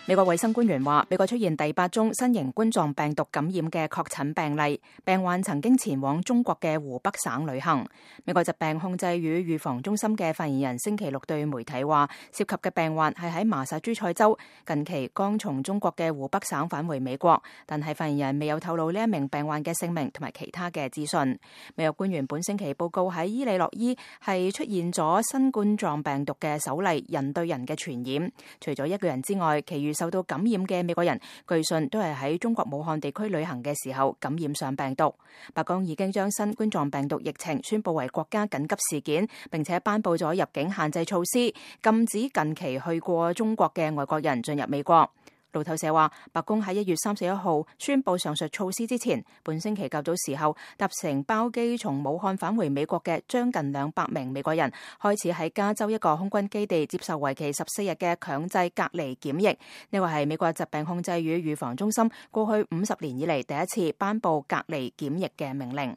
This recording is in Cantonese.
美國衛生官員話，美國出現第8宗新型冠狀病毒感染嘅確診病例，病患曾經前往中國嘅湖北省旅行。美國疾病控制與預防中心嘅發言人星期六對媒體話，涉及嘅病患係喺麻薩諸塞州，近期剛從中國嘅湖北省返回美國，但係發言人未有透露呢一名病患嘅姓名同埋其他嘅資訊。美國官員本星期報告喺伊利諾伊係出現咗新冠狀病毒嘅首例人對人嘅傳染，除咗一個人之外，其餘受到感染嘅美國人，據信都係喺中國武漢地區旅行嘅時候感染上病毒。白宮已經將新冠狀病毒疫情宣布為國家緊急事件，並且頒布咗入境限制措施，禁止近期去過中國嘅外國人進入美國。路透社話，白宮喺1月31號宣布上述措施之前，本星期較早時候搭乘包機從武漢返回美國嘅將近200名美國人，開始喺加州一個空軍基地接受為期14日嘅強制隔離檢疫。呢個係美國疾病控制與預防中心過去50年以嚟第一次頒布隔離檢疫嘅命令。